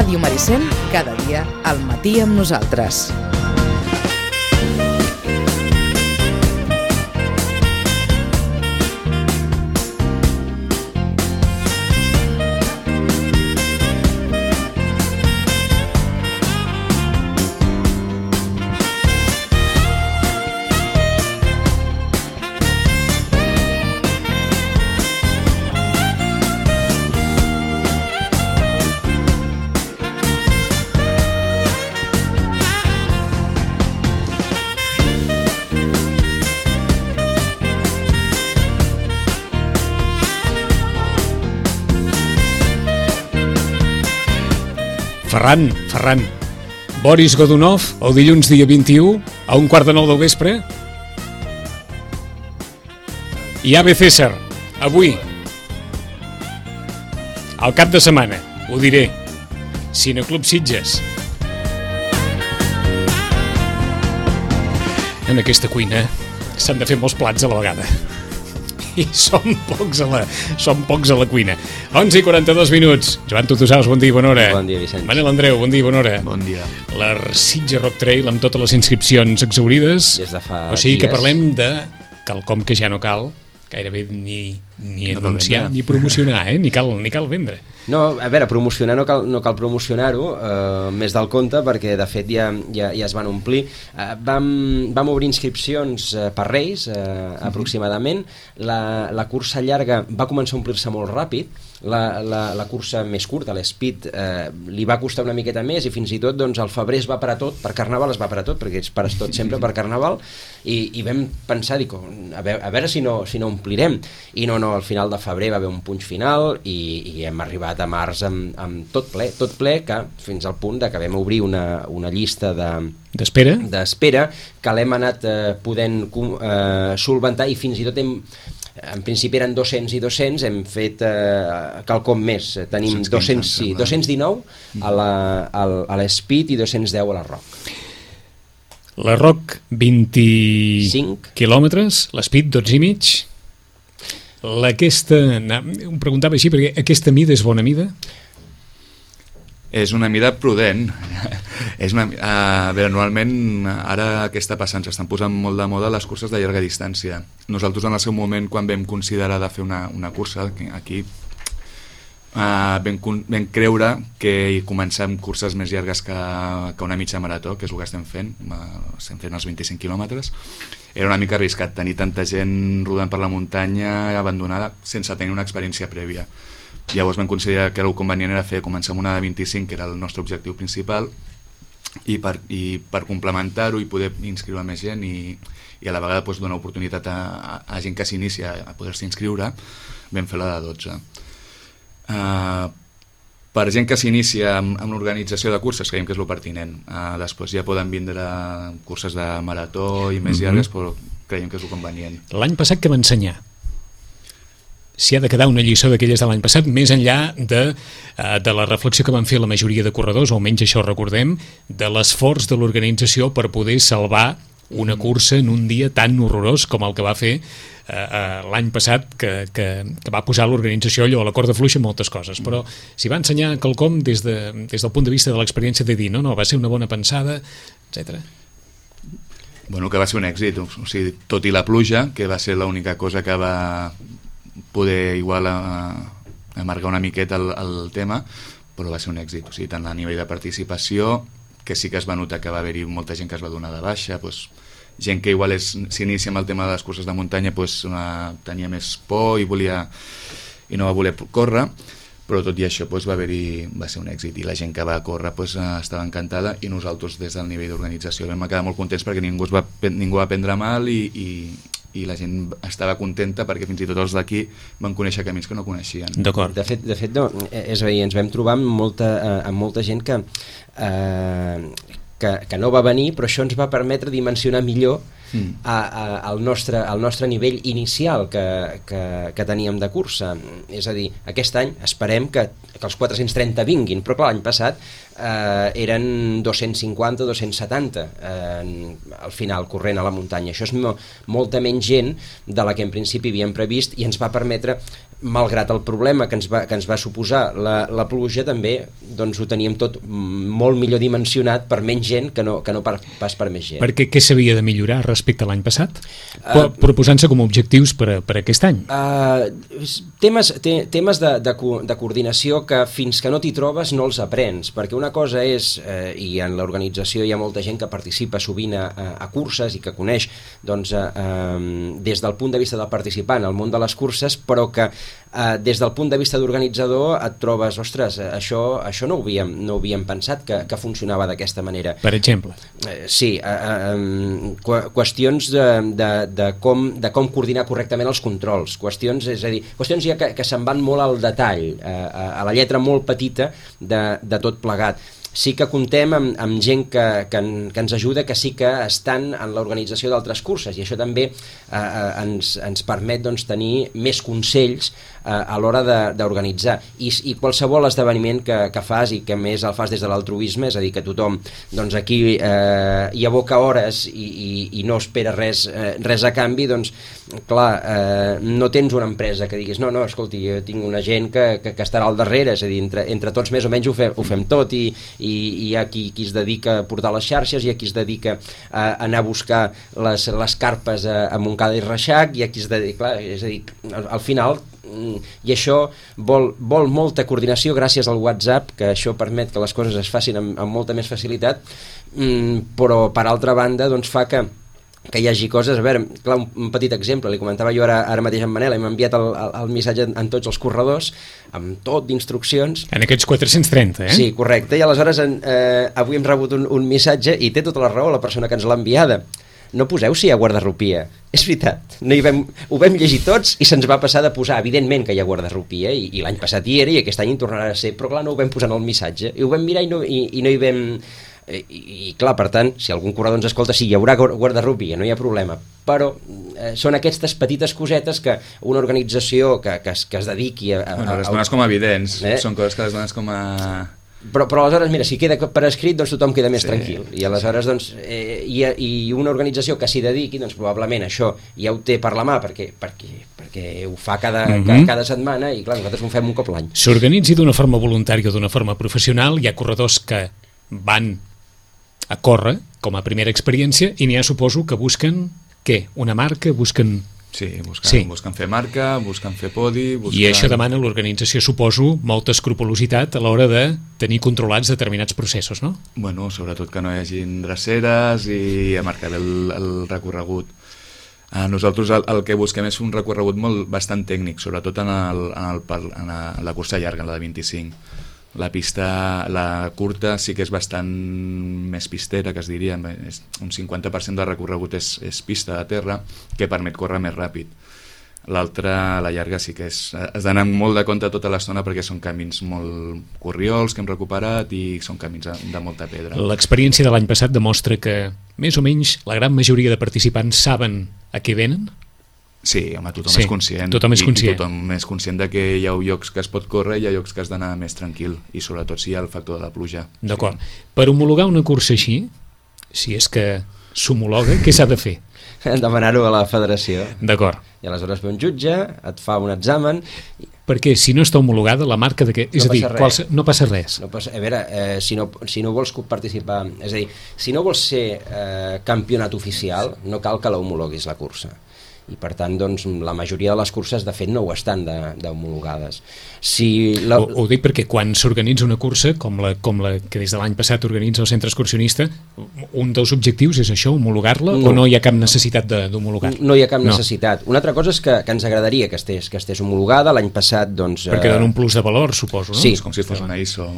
Ràdio Maricel, cada dia al matí amb nosaltres. Ferran, Boris Godunov, el dilluns dia 21, a 8:45 del vespre. I Ave César, avui, al cap de setmana, ho diré, Cineclub Sitges. En aquesta cuina s'han de fer molts plats a la vegada. I som pocs a la cuina. 11:42. Joan Tutusaus, bon dia i bona hora. Bon dia, Vicenç. Manel Andreu, bon dia i bona hora. Bon dia. L'Sitges Rock Trail amb totes les inscripcions exaurides. Des de fa o sigui que dies. parlem de quelcom que ja no cal gairebé ni anunciar, ni promocionar, ni cal vendre. No, a veure, promocionar no cal promocionar-ho més del compte, perquè de fet ja es van omplir. Vam obrir inscripcions per Reis, aproximadament. La cursa llarga va començar a omplir-se molt ràpid. La cursa més curta, l'Speed, li va costar una miqueta més, i fins i tot doncs, al febrer es va parar tot, per Carnaval es va parar tot, perquè es pares tot sempre per Carnaval, i vam pensar, a veure si no omplirem, i no, al final de febrer va haver un punx final, i hem arribat a març amb tot ple, que fins al punt que vam obrir una llista d'espera que l'hem anat podent solventar, i fins i tot en principi eren 200 i 200, hem fet quelcom més. Tenim 219 a l'Speed i 210 a la Rock. La Rock, 25 quilòmetres, l'Speed, 12 i mig. Em preguntava així, perquè aquesta mida és bona mida? És una mida prudent. A veure, normalment ara què està passant? S'estan posant molt de moda les curses de llarga distància. Nosaltres en el seu moment, quan vam considerar de fer una cursa aquí, vam creure que començar amb curses més llargues que una mitja marató, que és el que estem fent els 25 quilòmetres. Era una mica arriscat tenir tanta gent rodant per la muntanya abandonada sense tenir una experiència prèvia. Llavors vam considerar que el convenient era començar amb una de 25, que era el nostre objectiu principal, i per complementar-ho i poder inscriure més gent i a la vegada donar oportunitat a gent que s'inicia a poder-se inscriure, vam fer la de 12. Per gent que s'inicia amb l'organització de curses creiem que és el pertinent. Després ja poden vindre curses de marató i més llargues, però creiem que és el convenient. L'any passat que va ensenyar? Si ha de quedar una lliçó d'aquelles de l'any passat, més enllà de la reflexió que van fer la majoria de corredors, o almenys això recordem, de l'esforç de l'organització per poder salvar una cursa en un dia tan horrorós com el que va fer l'any passat, que va posar l'organització allò a la corda fluixa en moltes coses. Però si va ensenyar quelcom des del punt de vista de l'experiència de dir no, va ser una bona pensada, etc. Bueno, que va ser un èxit, o sigui, tot i la pluja, que va ser l'única cosa que va poder igual amargar una miqueta el tema, però va ser un èxit, o sigui, tant a nivell de participació, que sí que es va notar que va haver-hi molta gent que es va donar de baixa, gent que igual s'inicia amb el tema de les curses de muntanya, tenia més por i no va voler córrer, però tot i això va ser un èxit, i la gent que va córrer estava encantada, i nosaltres des del nivell d'organització vam quedar molt contents perquè ningú va prendre mal i la gent estava contenta, perquè fins i tot els d'aquí van conèixer camins que no coneixien. D'acord. De fet no, és a dir, ens vam trobar amb molta gent que no va venir, però això ens va permetre dimensionar millor al nostre nivell inicial que teníem de cursa. És a dir, aquest any esperem que els 430 vinguin, però clar, l'any passat eren 250 o 270 al final corrent a la muntanya. Això és molta menys gent de la que en principi havíem previst i ens va permetre, malgrat el problema que ens va suposar la pluja, també doncs, ho teníem tot molt millor dimensionat per menys gent que no pas per més gent. Perquè què s'havia de millorar respecte a l'any passat? Proposant-se com a objectius per aquest any? Temes de coordinació que fins que no t'hi trobes no els aprens, perquè una cosa és, i en l'organització hi ha molta gent que participa sovint a curses i que coneix doncs, des del punt de vista del participant el món de les curses, però que des del punt de vista d'organitzador et trobes, ostres, això no ho havíem pensat que funcionava d'aquesta manera. Per exemple? Sí, qüestions de com coordinar correctament els controls, qüestions ja que se'n van molt al detall, a la lletra molt petita de tot plegat. Sí que comptem amb gent que ens ajuda, que sí que estan en l'organització d'altres curses, i això també ens permet doncs, tenir més consells a l'hora d'organitzar. I qualsevol esdeveniment que fas, i que més el fas des de l'altruisme, és a dir, que tothom doncs, aquí hi aboca hores i no espera res a canvi, doncs, clar, no tens una empresa que diguis, no, escolti, jo tinc una gent que estarà al darrere, és a dir, entre tots més o menys ho fem tot, i hi ha qui es dedica a portar les xarxes, hi ha qui es dedica a anar a buscar les carpes a Montcada i Reixac, hi ha qui es dedica, clar, és a dir, al final, i això vol molta coordinació gràcies al WhatsApp, que això permet que les coses es facin amb molta més facilitat, però per altra banda doncs fa que hi hagi coses. A veure, clar, un petit exemple, li comentava jo ara mateix en Manel, hem enviat el missatge en tots els corredors, amb tot d'instruccions. En aquests 430, eh? Sí, correcte, i aleshores avui hem rebut un missatge, i té tota la raó la persona que ens l'ha enviada. No poseu si hi ha guardarropia. És veritat, ho vam llegir tots i se'ns va passar de posar, evidentment que hi ha guardarropia, i l'any passat hi era i aquest any hi tornarà a ser, però clar, no ho vam posar en el missatge, i ho vam mirar i no hi vam... I clar, per tant, si algun corredor ens escolta, sí, hi haurà guardarropia, no hi ha problema, però són aquestes petites cosetes que una organització que es dediqui a... Bueno, les dones com a evidents, són coses que les dones com a... Però aleshores, mira, si queda per escrit, doncs tothom queda més tranquil, i aleshores doncs, i una organització que s'hi dediqui, doncs probablement això ja ho té per la mà, perquè ho fa cada setmana, i clar, nosaltres ho fem un cop l'any. S'organitzi d'una forma voluntària o d'una forma professional, hi ha corredors que van a córrer com a primera experiència, i n'hi ha, suposo, que busquen què? Una marca? Busquen... Sí, busquen fer marca, busquen fer podi... I això demana l'organització, suposo, molta escrupolositat a l'hora de tenir controlats determinats processos, no? Bueno, sobretot que no hi hagin dreceres i a marcar el recorregut. Nosaltres el que busquem és un recorregut bastant tècnic, sobretot en la cursa llarga, en la de 25. La pista, la curta, sí que és bastant més pistera, que es diria, un 50% del recorregut és pista de terra, que permet córrer més ràpid. L'altra, la llarga, sí que has d'anar molt de compte tota l'estona, perquè són camins molt corriols que hem recuperat i són camins de molta pedra. L'experiència de l'any passat demostra que, més o menys, la gran majoria de participants saben a què venen? Sí, home, tothom és conscient. Tothom és conscient. I tothom és conscient de que hi ha llocs que es pot córrer i hi ha llocs que has d'anar més tranquil, i sobretot si hi ha el factor de la pluja. D'acord. Sí. Per homologar una cursa així, si és que s'homologa, què s'ha de fer? Demanar-ho a la federació. D'acord. I aleshores ve un jutge, et fa un examen... Perquè si no està homologada, la marca de què? És a dir, no passa res. A veure, si no vols participar... És a dir, si no vols ser campionat oficial, no cal que l'homologuis la cursa. I per tant, doncs, la majoria de les curses de fet no ho estan d'homologades. Ho dic perquè quan s'organitza una cursa com la que des de l'any passat organitza el centre excursionista, un dels objectius és això, homologar-la, o no hi ha cap necessitat d'homologar-la? No hi ha cap necessitat. Una altra cosa és que ens agradaria que estés homologada. L'any passat, doncs... Perquè dona un plus de valor, suposo, no? Sí. És com si fos una ISO.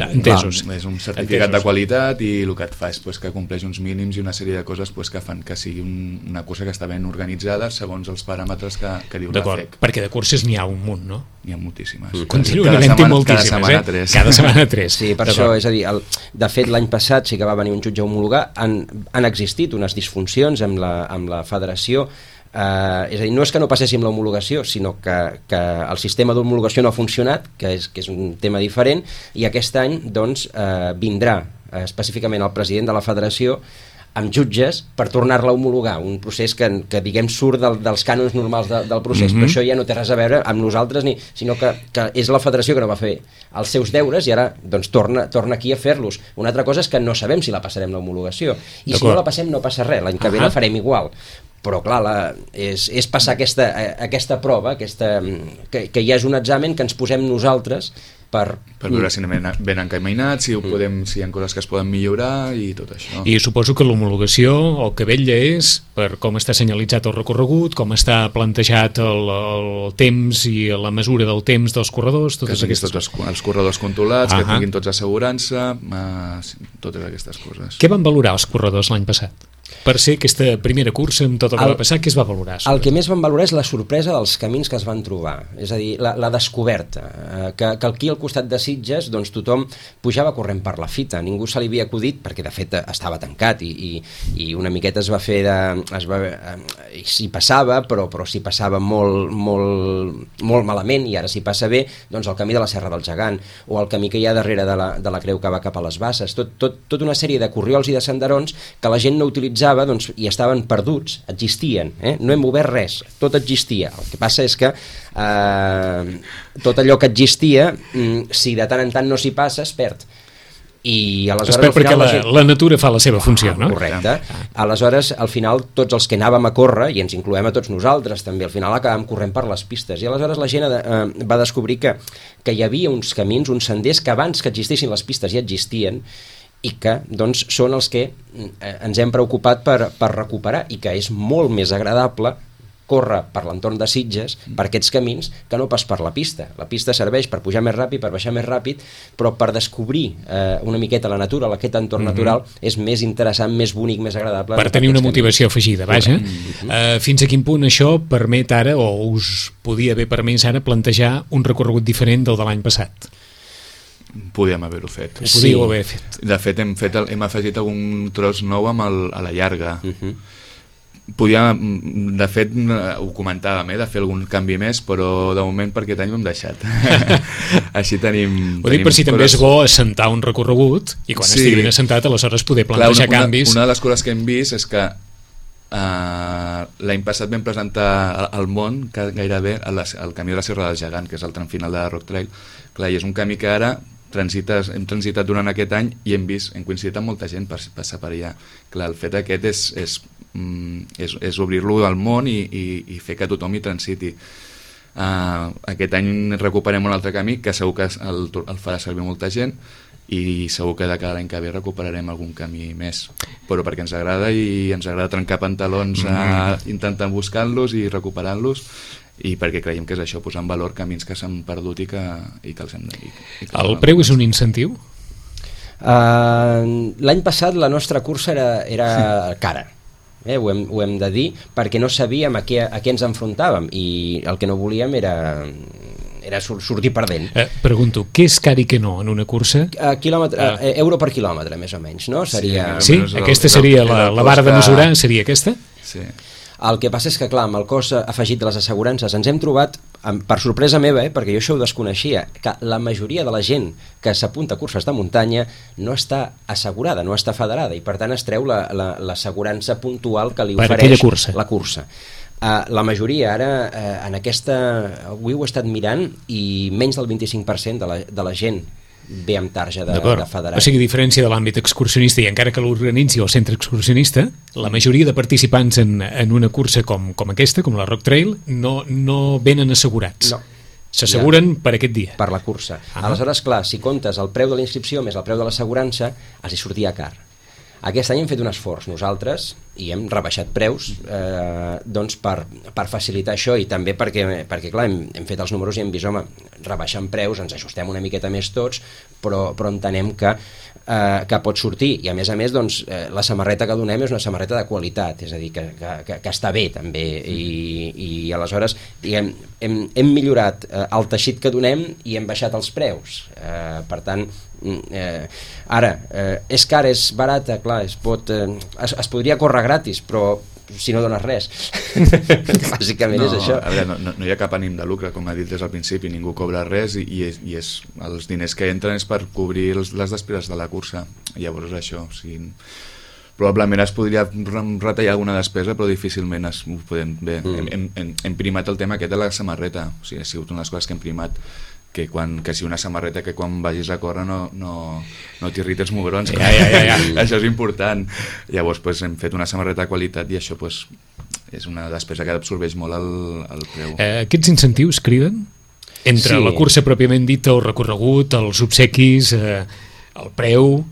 Entesos. És un certificat de qualitat, i el que et fa és que compleix uns mínims i una sèrie de coses que fan que sigui una cursa que està ben organitzada, segons els paràmetres que diu la D'acord, FEC. perquè de curses n'hi ha un munt, no? N'hi ha moltíssimes. Continuen havent-hi moltíssimes, Cada setmana 3. Cada setmana 3. Sí, per això, és a dir, de fet l'any passat sí que va venir un jutge a homologar, han existit unes disfuncions amb la federació, és a dir, no és que no passéssim l'homologació, sinó que el sistema d'homologació no ha funcionat, que és un tema diferent, i aquest any doncs, vindrà específicament el president de la federació amb jutges per tornar-la a homologar, un procés que diguem surt dels cànons normals del procés, però això ja no té res a veure amb nosaltres, sinó que és la federació que no va fer els seus deures i ara doncs, torna aquí a fer-los. Una altra cosa és que no sabem si la passarem l'homologació, i si no la passem no passa res, l'any que ve la farem igual. Però clar, és passar aquesta prova, que ja és un examen que ens posem nosaltres per veure si anem ben encaminats, si hi ha coses que es poden millorar i tot això. I suposo que l'homologació el que vetlla és per com està senyalitzat el recorregut, com està plantejat el temps i la mesura del temps dels corredors, totes aquestes coses. Els corredors controlats, que tinguin tots assegurança, totes aquestes coses. Què van valorar els corredors l'any passat? Per ser aquesta primera cursa amb tot el que va passar, què es va valorar? El que més van valorar és la sorpresa dels camins que es van trobar, és a dir, la descoberta, que aquí al costat de Sitges doncs, tothom pujava corrent per la fita, ningú se li havia acudit, perquè de fet estava tancat i una miqueta es va fer s'hi passava, però s'hi passava molt malament, i ara s'hi passa bé, doncs el camí de la Serra del Gegant, o el camí que hi ha darrere de la creu que va cap a les Basses, tota una sèrie de corriols i de senderons que la gent no utilitzava, doncs, i estaven perduts, existien, no hem obert res, tot existia. El que passa és que tot allò que existia, si de tant en tant no s'hi passa, es perd. I aleshores, al final, perquè la natura fa la seva funció, no? Correcte. Aleshores, al final, tots els que anàvem a córrer, i ens incloem a tots nosaltres també, al final acabàvem corrent per les pistes, i aleshores la gent va descobrir que hi havia uns camins, uns senders que abans que existissin les pistes ja existien, i que doncs, són els que ens hem preocupat per recuperar, i que és molt més agradable córrer per l'entorn de Sitges per aquests camins que no pas per la pista. La pista serveix per pujar més ràpid, per baixar més ràpid, però per descobrir una miqueta la natura, aquest entorn natural, és més interessant, més bonic, més agradable. Per tenir una motivació afegida, vaja. Fins a quin punt això permet ara, o us podia haver permès ara, plantejar un recorregut diferent del de l'any passat? Podíem haver-ho fet. Ho podíeu haver fet. De fet, hem afegit algun tros nou a la llarga. De fet, ho comentàvem, de fer algun canvi més, però de moment per aquest any ho hem deixat. Així tenim... Ho dic per si també és bo assentar un recorregut, i quan estigui ben assentat, aleshores poder plantejar canvis. Una de les coses que hem vist és que l'any passat vam presentar al món gairebé el camí de la Serra del Gegant, que és el tram final de la Rock Trail. Clar, i és un camí que ara hem transitat durant aquest any i hem coincidit amb molta gent per passar per allà. Clar, el fet aquest és obrir-lo al món i fer que tothom hi transiti. Aquest any recuperem un altre camí que segur que el farà servir molta gent, i segur que de cada any que ve recuperarem algun camí més, però perquè ens agrada, i ens agrada trencar pantalons intentant buscar-los i recuperant-los, i perquè creiem que és això, posar en valor camins que s'han perdut i que els hem de... El preu és un incentiu? L'any passat la nostra cursa era cara, ho hem de dir, perquè no sabíem a què ens enfrontàvem, i el que no volíem era sortir perdent. Pregunto, què és car i què no en una cursa? Euro per quilòmetre, més o menys, no? Sí, aquesta seria la vara de mesurar, seria aquesta? Sí. El que passa és que, clar, amb el cost afegit de les assegurances ens hem trobat, per sorpresa meva, perquè jo això ho desconeixia, que la majoria de la gent que s'apunta a curses de muntanya no està assegurada, no està federada, i per tant es treu l'assegurança puntual que li ofereix la cursa. La majoria ara, avui ho he estat mirant, i menys del 25% de la gent ve amb tarja de federat. O sigui, a diferència de l'àmbit excursionista, i encara que l'organitzi el centre excursionista, la majoria de participants en una cursa com aquesta, com la Rock Trail, no venen assegurats. No. S'asseguren per aquest dia. Per la cursa. Aleshores, clar, si comptes el preu de la inscripció més el preu de l'assegurança, els hi sortia car. Aquest any hem fet un esforç nosaltres i hem rebaixat preus doncs per facilitar això, i també perquè clar, hem fet els números i hem vist, home, rebaixant preus, ens ajustem una miqueta més tots, però entenem que que pot sortir, i a més, doncs, la samarreta que donem és una samarreta de qualitat, és a dir, que està bé també, i aleshores hem millorat el teixit que donem i hem baixat els preus, per tant ara, és car, és barata, clar, es podria córrer gratis, però si no dones res bàsicament és això. A veure, no hi ha cap ànim de lucre, com ha dit des del principi, ningú cobra res i els diners que entren és per cobrir les despeses de la cursa. Llavors això, o sigui, probablement es podria retallar alguna despesa, però difícilment ho podem. Bé, hem primat el tema aquest de la samarreta, o sigui, ha sigut una de les coses que hem primat, que si una samarreta que quan vagis a córrer no t'irrita els mugrons, això és important. Llavors hem fet una samarreta de qualitat i això és una despesa que absorbeix molt el preu. Aquests incentius criden? Entre la cursa pròpiament dita, el recorregut, els obsequis, el preu...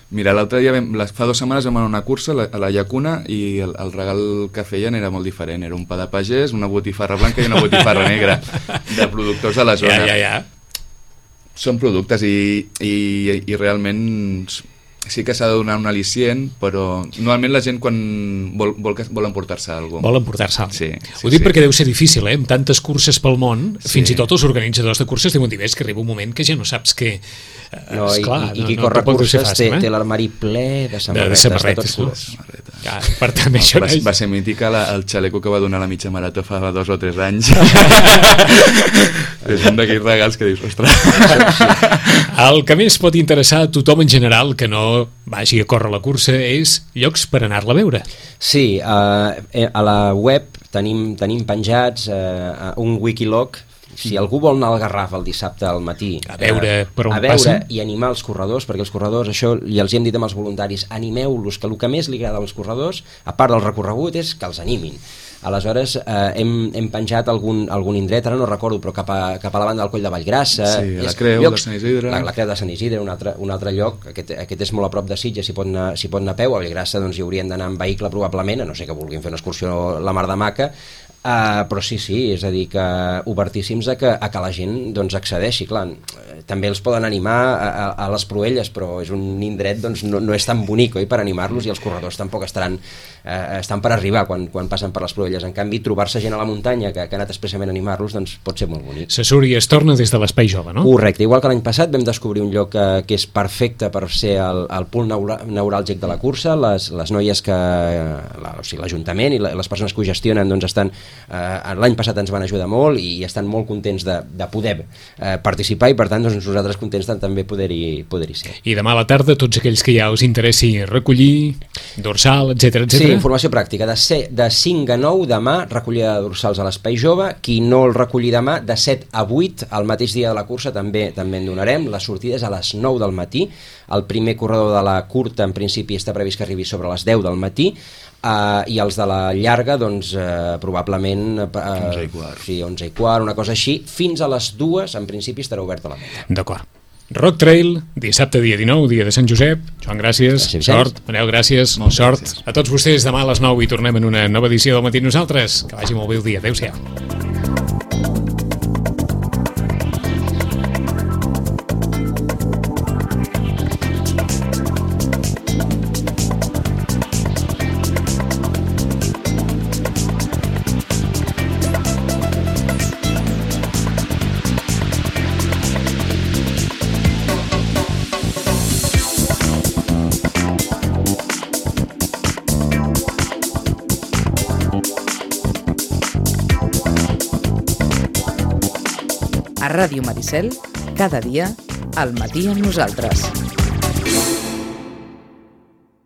Mira, l'altre dia, fa 2 setmanes vam anar a una cursa a la Llacuna i el regal que feien era molt diferent. Era un pa de pagès, una botifarra blanca i una botifarra negra de productors de la zona. Són productes i realment sí que s'ha de donar un al·licient, però normalment la gent quan vol emportar-se alguna cosa. Vol emportar-se alguna cosa. Sí, ho dic perquè deu ser difícil, amb tantes curses pel món, fins i tot els organitzadors de curses deuen dir, és que arriba un moment que ja no saps què... I qui corre curses té l'armari ple de samarretes de tots colors. Per tant, això va ser mítica el xaleco que va donar la mitja marató fa 2 o 3 anys. És un d'aquells regals que dius, ostres. El que més pot interessar a tothom en general que no vagi a córrer la cursa és llocs per anar-la a veure. Sí, a la web tenim penjats un wikilog. Si algú vol anar al Garraf el dissabte al matí a veure per on passen i animar els corredors, perquè els corredors, això ja els hi hem dit amb els voluntaris, animeu-los, que el que més li agrada als corredors, a part del recorregut, és que els animin. Aleshores hem penjat algun indret, ara no recordo, però cap a la banda del Coll de Vallgrassa, la Creu de Sant Isidre, la Creu de Sant Isidre, un altre lloc, aquest és molt a prop de Sitges, s'hi pot anar a peu. A Vallgrassa doncs hi haurien d'anar en vehicle probablement, a no sé que vulguin fer una excursió la mar de maca, però sí, és a dir, que obertíssims a que la gent doncs accedeixi. Clar, també els poden animar a les Proelles, però és un indret, doncs no és tan bonic, oi, per animar-los, i els corredors tampoc estan per arribar quan passen per les Proelles. En canvi, trobar-se gent a la muntanya que ha anat expressament a animar-los, doncs pot ser molt bonic. Se surt i es torna des de l'Espai Jove, no? Correcte, igual que l'any passat vam descobrir un lloc que és perfecte per ser el punt neuràlgic de la cursa. Les noies l'Ajuntament i les persones que ho gestionen doncs estan... l'any passat ens van ajudar molt i estan molt contents de poder participar, i per tant doncs, nosaltres contents de també poder-hi ser. I demà a la tarda tots aquells que ja us interessi recollir dorsal, etc. Sí, informació pràctica, de 5 a 9 demà recollida de dorsals a l'Espai Jove. Qui no el recolli demà, de 7 a 8 el mateix dia de la cursa també en donarem. La sortida és a les 9 del matí. El primer corredor de la curta en principi està previst que arribi sobre les 10 del matí, i els de la llarga doncs probablement 11 i quart. Sí, 11 i quart, una cosa així, fins a les 2 en principi estarà oberta la meta. D'acord. Rock Trail, dissabte dia 19, dia de Sant Josep. Joan, gràcies. Sort. Manel, gràcies. Sort. Gràcies. A tots vostès, demà a les 9 i tornem en una nova edició del Matí Nosaltres. Que vagi molt bé el dia. Adéu-siau. A Ràdio Maricel, cada dia, al matí amb nosaltres.